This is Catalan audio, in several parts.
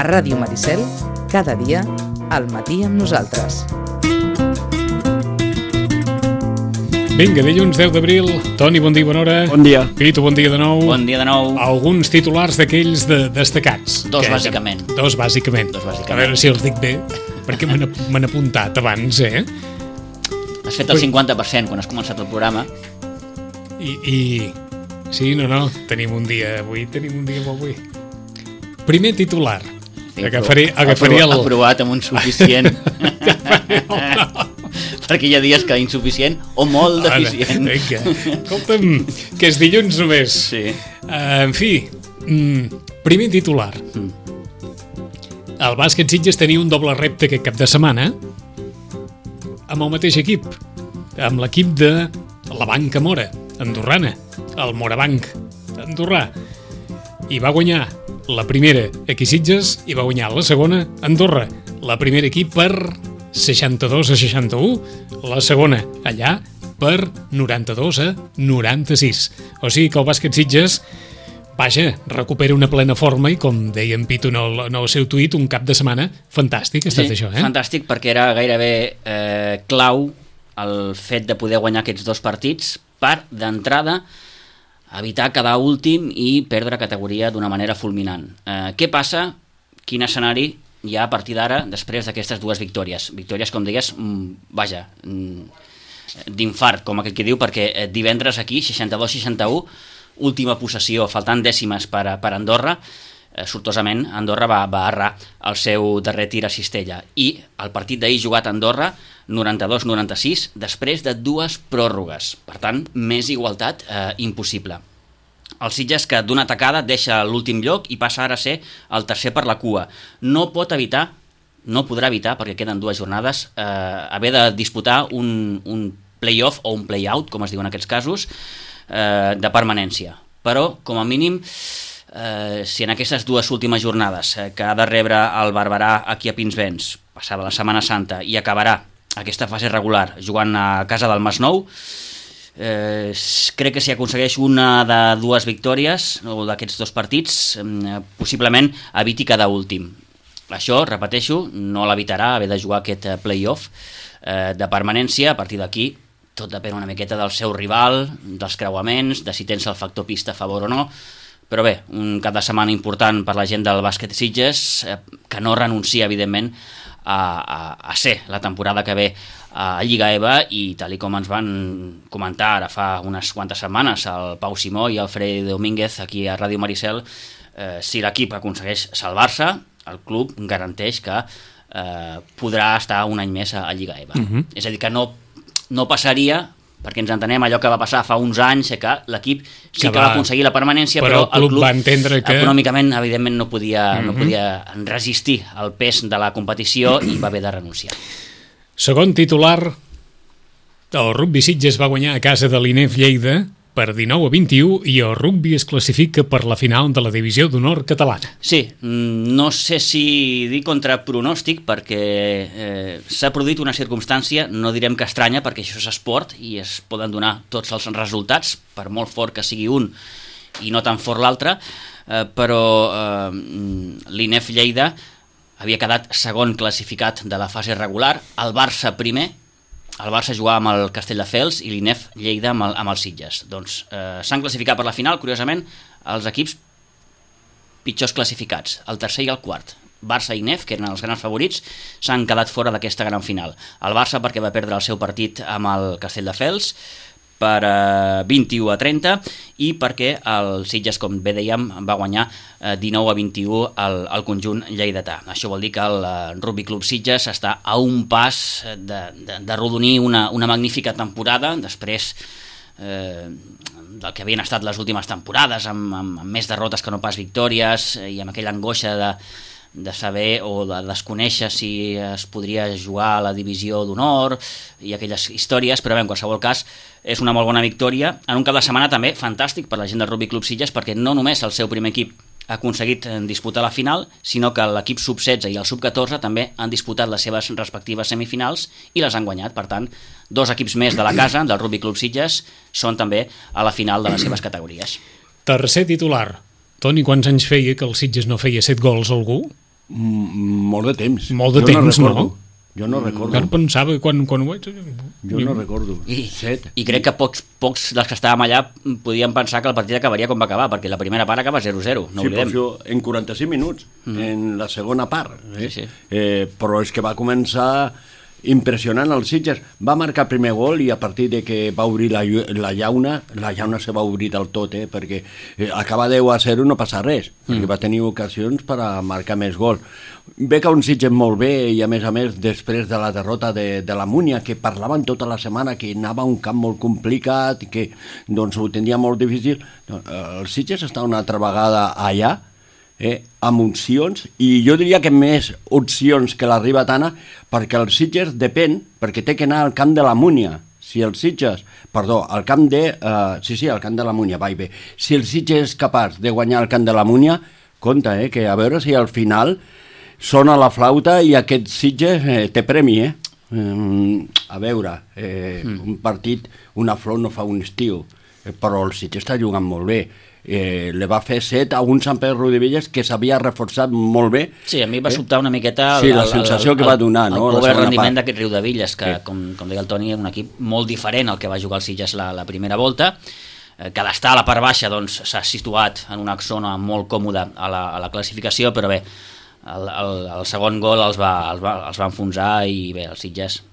Ràdio Maricel, cada dia, al matí amb nosaltres. Vinga, dilluns 10 d'abril. Toni, bon dia, bona hora. Bon dia. Pitu, bon dia de nou. Bon dia de nou. Alguns titulars d'aquells destacats. Dos, bàsicament. Dos, bàsicament. A veure si els dic bé, perquè me n'he apuntat abans, Has fet el 50% quan has començat el programa. I sí, no, tenim un dia molt avui. Primer titular. Agafaré el... Aprovat amb un suficient. Perquè hi ha dies que insuficient o molt deficient. Vinga, escolta'm, que és dilluns només. Sí. En fi, primer titular. El bàsquet Sitges tenia un doble repte aquest cap de setmana amb el mateix equip, amb l'equip de la Banca Mora, andorrana, el Morabanc andorrà, i va guanyar la primera aquí Sitges i va guanyar la segona Andorra. La primera equip per 62-61, la segona allà per 92-96. O sigui que el bàsquet Sitges, vaja, recupera una plena forma i, com deia en Pitu en el seu tuit, un cap de setmana fantàstic ha estat això, Fantàstic, perquè era gairebé clau el fet de poder guanyar aquests dos partits per, d'entrada, evitar quedar últim i perdre categoria d'una manera fulminant. Què passa? Quin escenari hi ha a partir d'ara després d'aquestes dues victòries? Victòries, com deies, d'infart, com aquell que diu, perquè divendres aquí, 62-61, última possessió, faltant dècimes per Andorra, sortosament Andorra va errar el seu darrer tir a cistella, i el partit d'ahir jugat a Andorra 92-96 després de dues pròrrogues, per tant més igualtat impossible. El Sitges, que d'una tacada deixa l'últim lloc i passa ara a ser el tercer per la cua, no podrà evitar, perquè queden dues jornades, haver de disputar un play-off o un play-out, com es diu en aquests casos, de permanència. Però, com a mínim, si en aquestes dues últimes jornades que ha de rebre el Barberà aquí a Pinsbens, passada la Setmana Santa, i acabarà aquesta fase regular jugant a casa del Masnou, crec que si aconsegueix una de dues victòries o d'aquests dos partits, possiblement eviti cada últim. Això, repeteixo, no l'evitarà haver de jugar aquest play-off de permanència. A partir d'aquí tot depèn una miqueta del seu rival, dels creuaments, de si tens el factor pista a favor o no. Però bé, un cap de setmana important per la gent del bàsquet Sitges, que no renuncia, evidentment, a ser la temporada que ve a Lliga EVA, i tal com ens van comentar ara fa unes quantes setmanes el Pau Simó i el Freddy Domínguez aquí a Ràdio Maricel, si l'equip aconsegueix salvar-se, el club garanteix que podrà estar un any més a Lliga EVA. És a dir, que no passaria, perquè ens entenem allò que va passar fa uns anys, que l'equip sí que va aconseguir la permanència, però el club va entendre que econòmicament, evidentment, no podia resistir el pes de la competició i va haver de renunciar. Segon titular, el rugby Sitges va guanyar a casa de l'INEF Lleida per 19-21 i el rugby es classifica per la final de la divisió d'honor catalana. Sí, no sé si dir contra pronòstic, perquè s'ha produït una circumstància, no direm que estranya, perquè això és esport i es poden donar tots els resultats, per molt fort que sigui un i no tan fort l'altre, però l'INEF Lleida havia quedat segon classificat de la fase regular, el Barça primer. El Barça jugava amb el Castelldefels i l'INEF Lleida amb els Sitges. Doncs s'han classificat per la final, curiosament, els equips pitjors classificats, el tercer i el quart. Barça i INEF, que eren els grans favorits, s'han quedat fora d'aquesta gran final. El Barça perquè va perdre el seu partit amb el Castelldefels per 21-30 i perquè el Sitges, com bé dèiem, va guanyar 19-21 al conjunt lleidatà. Això vol dir que el Rugby Club Sitges està a un pas de rodonir una magnífica temporada després del que havien estat les últimes temporades, amb més derrotes que no pas victòries, i amb aquella angoixa de saber o de desconèixer si es podria jugar a la divisió d'honor i aquelles històries, però bé, en qualsevol cas és una molt bona victòria en un cap de setmana també fantàstic per la gent del Rugby Club Sitges, perquè no només el seu primer equip ha aconseguit disputar la final, sinó que l'equip sub-16 i el sub-14 també han disputat les seves respectives semifinals i les han guanyat. Per tant, dos equips més de la casa, del Rugby Club Sitges, són també a la final de les seves categories. Tercer titular. Toni, quants anys feia que el Sitges no feia 7 gols a algú? Molt de temps. Molt de temps, no? Jo no recordo. Jo pensava quan ho veig... Jo no recordo. I crec que pocs dels que estàvem allà podien pensar que el partit acabaria com va acabar, perquè la primera part acaba 0-0, no oblidem. Sí, però en 45 minuts, en la segona part. Sí. Però és que va començar impressionant el Sitges. Va marcar el primer gol i a partir de que va obrir la llauna se va obrir del tot, perquè acabar 10-0 no passa res, perquè va tenir ocasions per a marcar més gol. Ve que un Sitges molt bé i a més després de la derrota de la Múnia, que parlaven tota la setmana que anava a un camp molt complicat i que doncs ho tindria molt difícil, el Sitges està una altra vegada allà amb opcions, i jo diria que més opcions que la Ribetana, perquè el Sitges depèn, perquè té que anar al camp de la Múnia. Si el Sitges, al camp de... al camp de la Múnia, va i bé. Si el Sitges és capaç de guanyar el camp de la Múnia, compte, que a veure si al final sona la flauta i aquest Sitges té premi, a veure, un partit, una flor no fa un estiu, però el Sitges està jugant molt bé. Le va fer 7 a un Sant Pere Rodivelles que s'havia reforçat molt bé. Sí, a mi va sobtar una miqueta la sensació que va donar, no? El pobre rendiment d'aquest Riudevilles, que com deia el Toni, un equip molt diferent al que va jugar el Sitges la primera volta, que d'estar a la part baixa s'ha situat en una zona molt còmoda a la classificació, però bé, el segon gol els va enfonsar i bé, el Sitges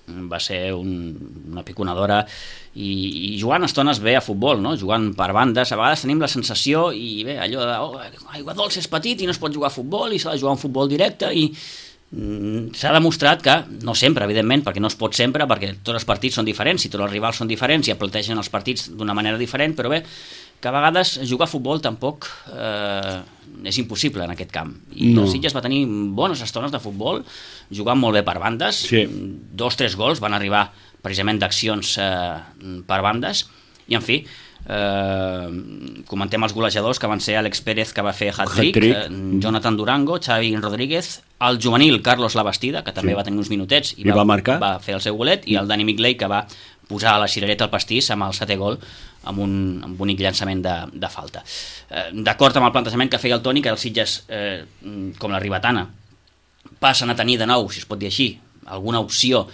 va ser una piconadora i jugant estones bé a futbol, no? Jugant per bandes, a vegades tenim la sensació i bé, allò de Aigua Dolça és petit i no es pot jugar a futbol i s'ha de jugar un futbol directe i s'ha demostrat que, no sempre evidentment, perquè no es pot sempre, perquè tots els partits són diferents i tots els rivals són diferents i plantegen els partits d'una manera diferent, però bé, que a vegades jugar a futbol tampoc és impossible en aquest camp. I el Sitges va tenir bones estones de futbol, jugant molt bé per bandes, 2-3 gols van arribar precisament d'accions per bandes, i en fi, comentem els golejadors que van ser Àlex Pérez, que va fer hat-trick, Jonathan Durango, Xavi Rodríguez, el juvenil Carlos Labastida, que també va tenir uns minutets i va fer el seu golet, i el Dani Migley, que va posar la cirereta al pastís amb el 7è gol amb un bonic llançament de falta. D'acord amb el plantejament que feia el Toni, que els Sitges, com la Ribetana, passen a tenir de nou, si es pot dir així, alguna opció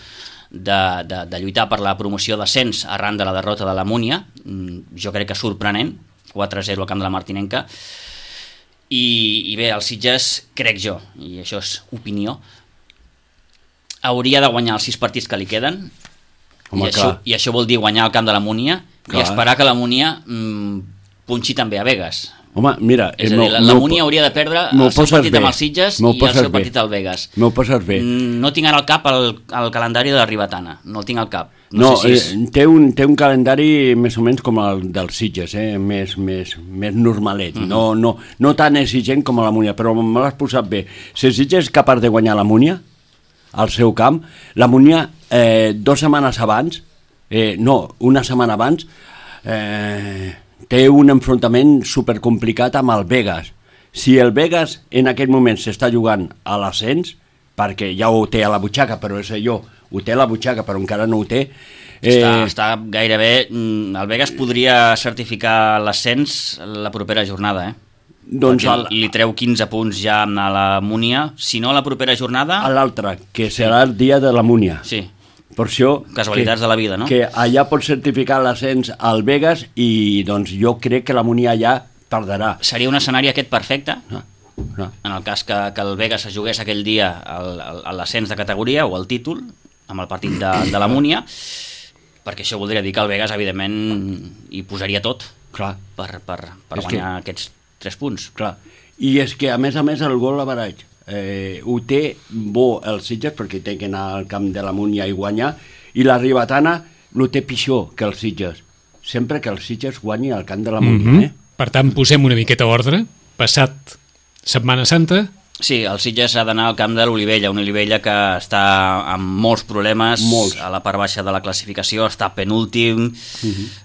de lluitar per la promoció d'ascens arran de la derrota de la Múnia, jo crec que sorprenent, 4-0 al camp de la Martinenca, i bé, el Sitges, crec jo, i això és opinió, hauria de guanyar els 6 partits que li queden. I això vol dir guanyar el camp de la Múnia i esperar que la Múnia punxi també a Vegas. Home, mira... És a dir, la Múnia hauria de perdre el seu partit amb els Sitges i el seu partit al Vegas. M'ho poses bé. No tinc ara al cap el calendari de la Ribetana, no el tinc al cap. No, té un calendari més o menys com el dels Sitges, més normalet, no tan exigent com la Múnia, però me l'has posat bé. Si el Sitges és capaç de guanyar la Múnia al seu camp, la Múnia 2 setmanes abans, una setmana abans, té un enfrontament supercomplicat amb el Vegas. Si el Vegas en aquest moment s'està jugant a l'ascens, perquè ja ho té a la butxaca, però és allò, ho té a la butxaca però encara no ho té, està gairebé... El Vegas podria certificar l'ascens la propera jornada, doncs li treu 15 punts ja a la Múnia, si no la propera jornada... A l'altra, que serà el dia de la Múnia. Sí. Per això... Casualitats de la vida, no? Que allà pot certificar l'ascens al Vegas i doncs jo crec que la Múnia ja perdrà. Seria un escenari aquest perfecte? En el cas que el Vegas es jugués aquell dia a l'ascens de categoria o el títol, amb el partit de la Múnia, perquè això voldria dir que el Vegas, evidentment, hi posaria tot per guanyar aquests 3 punts. Clar, i és que a més el gol average ho té bo el Sitges perquè té que anar al camp de la Múnia i guanyar, i la Ribetana ho té pitjor que el Sitges, sempre que el Sitges guanyi al camp de la Múnia. Per tant, posem una miqueta ordre. Passat Setmana Santa... Sí, el Sitges ha d'anar al camp de l'Olivella, una Olivella que està amb molts problemes, a la part baixa de la classificació, està penúltim,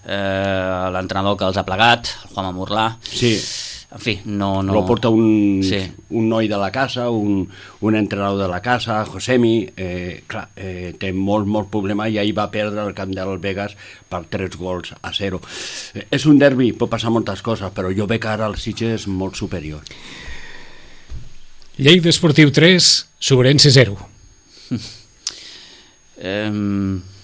l'entrenador que els ha plegat, el Juanma Morlà... Sí. En fi, no... Lo porta un noi de la casa, un entrenador de la casa, Josemi, té molt problema, i ahir va perdre el camp del Vegas per 3-0. És un derbi, pot passar moltes coses, però jo veig ara el Sitges molt superior. Lleida Esportiu 3, Sobrense 0.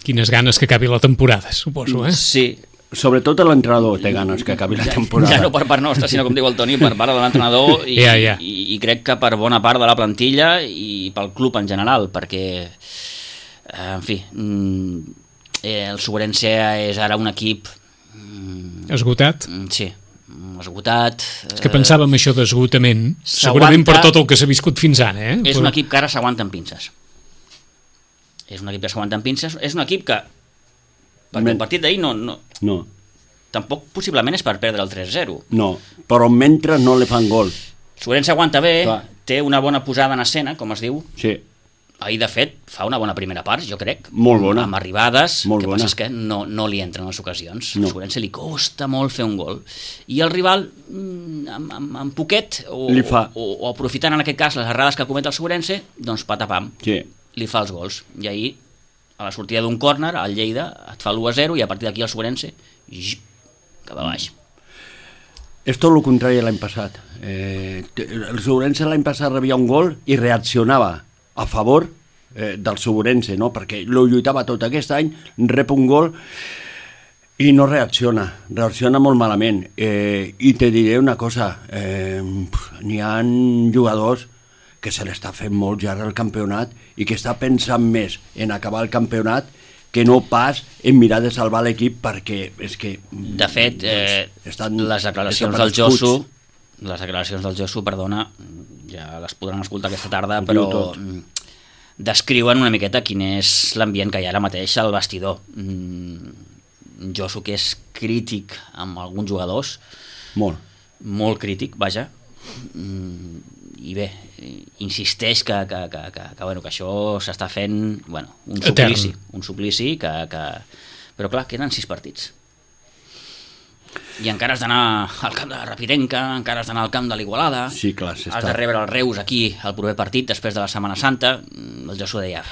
Quines ganes que acabi la temporada, suposo, eh? Sí. Sobretot l'entrenador té ganes que acabi la temporada. Ja no per part nostra, sinó com diu el Toni, per part de l'entrenador i crec que per bona part de la plantilla i pel club en general, perquè, en fi, el Sobrense és ara un equip... Esgotat? Sí, esgotat. És que pensàvem això d'esgotament, segurament per tot el que s'ha viscut fins ara, eh? És un equip que ara s'aguanta amb pinces. És un equip que s'aguanta amb pinces, és un equip que perquè el partit d'ahir no. Tampoc possiblement és per perdre el 3-0. No, però mentre no li fan gol. Sobrense aguanta bé, té una bona posada en escena, com es diu. Sí. Ahir, de fet, fa una bona primera part, jo crec. Molt bona. Amb arribades, molt que bona. passa és que no li entren les ocasions. No. A Sobrense li costa molt fer un gol. I el rival, amb poquet, o aprofitant en aquest cas les errades que comet el Sobrense, doncs patapam, li fa els gols. I ahir, a la sortida d'un córner, al Lleida et fa l'1-0 i a partir d'aquí el Sobrense cap a baix. És tot el contrari l'any passat. El Sobrense l'any passat rebia un gol i reaccionava a favor del Sobrense, no? Perquè lo lluitava tot. Aquest any rep un gol i no reacciona molt malament. I te diré una cosa, n'hi ha jugadors que se l'està fent molt ja el campionat i que està pensant més en acabar el campionat que no pas en mirar de salvar l'equip, perquè és que... De fet, les declaracions del Josu, perdona, ja les podran escoltar aquesta tarda, però descriuen una miqueta quin és l'ambient que hi ha ara mateix al vestidor. Josu, que és crític amb alguns jugadors, molt crític, vaja, i bé, insisteix que això s'està fent un suplici però clar, queden 6 partits i encara has d'anar al camp de Rapidenca, encara has d'anar al camp de l'Igualada, has de rebre el Reus aquí el proper partit després de la Setmana Santa. El Josu deia,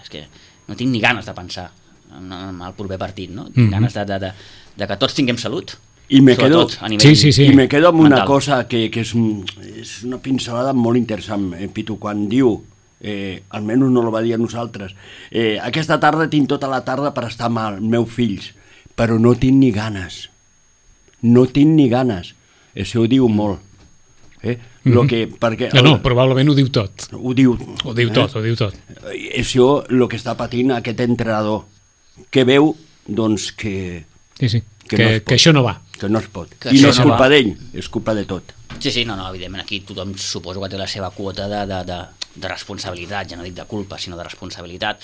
és que no tinc ni ganes de pensar en el proper partit, no? Tinc ganes de que tots tinguem salut. I me quedo amb una mental. cosa que és una pincelada molt interessant, Pitu, quan diu, almenys no lo va dir a nosaltres, aquesta tarda tinc tota la tarda per estar amb els meus fills, però no tinc ni ganes. Això ho diu molt. Probablement ho diu tot. Ho diu tot. Això el que està patint aquest entrenador, que veu doncs que... Que això no va. Que no es pot. I no és culpa d'ell, és culpa de tot. Sí, no, evidentment aquí tothom suposo que té la seva quota de responsabilitat, ja no dic de culpa, sinó de responsabilitat.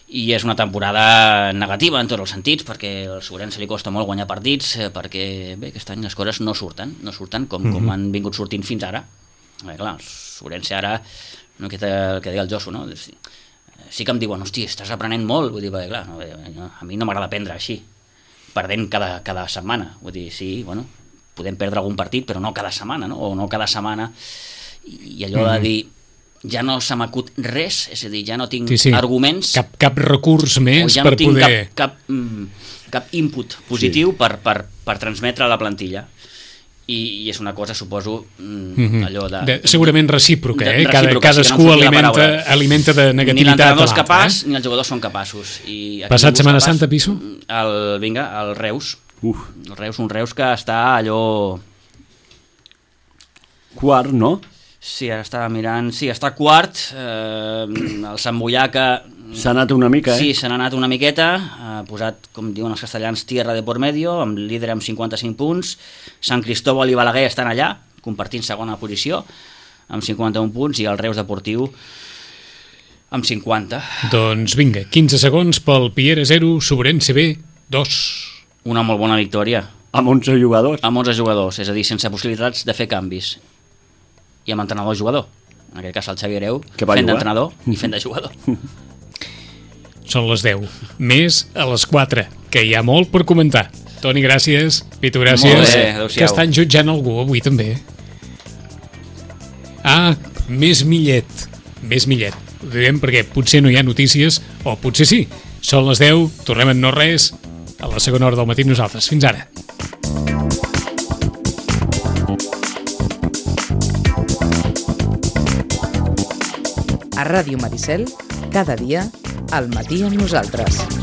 I és una temporada negativa en tots els sentits, perquè al Sobrense li costa molt guanyar partits, perquè bé, aquest any les coses no surten com han vingut sortint fins ara. Clar, el Sobrense ara, el que deia el Josu, no? Sí que em diuen, hosti, estàs aprenent molt, vull dir, perquè clar, a mi no m'agrada aprendre així, perdent cada setmana, vull dir, sí, podem perdre algun partit, però no cada setmana, no? O no cada setmana, i allò de dir, ja no se m'acut res, és a dir, ja no tinc arguments... Cap recurs més per poder... Cap input positiu per transmetre a la plantilla. I és una cosa, suposo, allò de... Segurament recíproca, cadascú alimenta de negativitat. Ni l'entrenador és capaç, ni els jugadors són capaços. Passat Setmana Santa, Piso? El Reus. Un Reus que està allò... Quart, no? Sí, ara estava mirant... Sí, està quart. El Sant Boiaca... S'ha anat una mica, Sí, s'ha anat una miqueta. Ha posat, com diuen els castellans, tierra de por medio, amb líder amb 55 punts. Sant Cristóbal i Balaguer estan allà, compartint segona posició, amb 51 punts, i el Reus Deportiu amb 50. Doncs vinga, 15 segons pel Piera 0, Sobrense B 2. Una molt bona victòria. Amb 11 jugadors. Amb 11 jugadors, és a dir, sense possibilitats de fer canvis. I amb entrenador-jugador. En aquest cas el Xavi Hereu, fent d'entrenador i fent de jugador. Són les 10, més a les 4, que hi ha molt per comentar. Toni, gràcies. Pitu, gràcies. Molt bé, adéu-siau. Que estan jutjant algú avui també. Més Millet. Ho direm perquè potser no hi ha notícies, o potser sí. Són les 10, tornem en no res, a la segona hora del matí nosaltres. Fins ara. A Ràdio Maricel, cada dia, al matí amb nosaltres.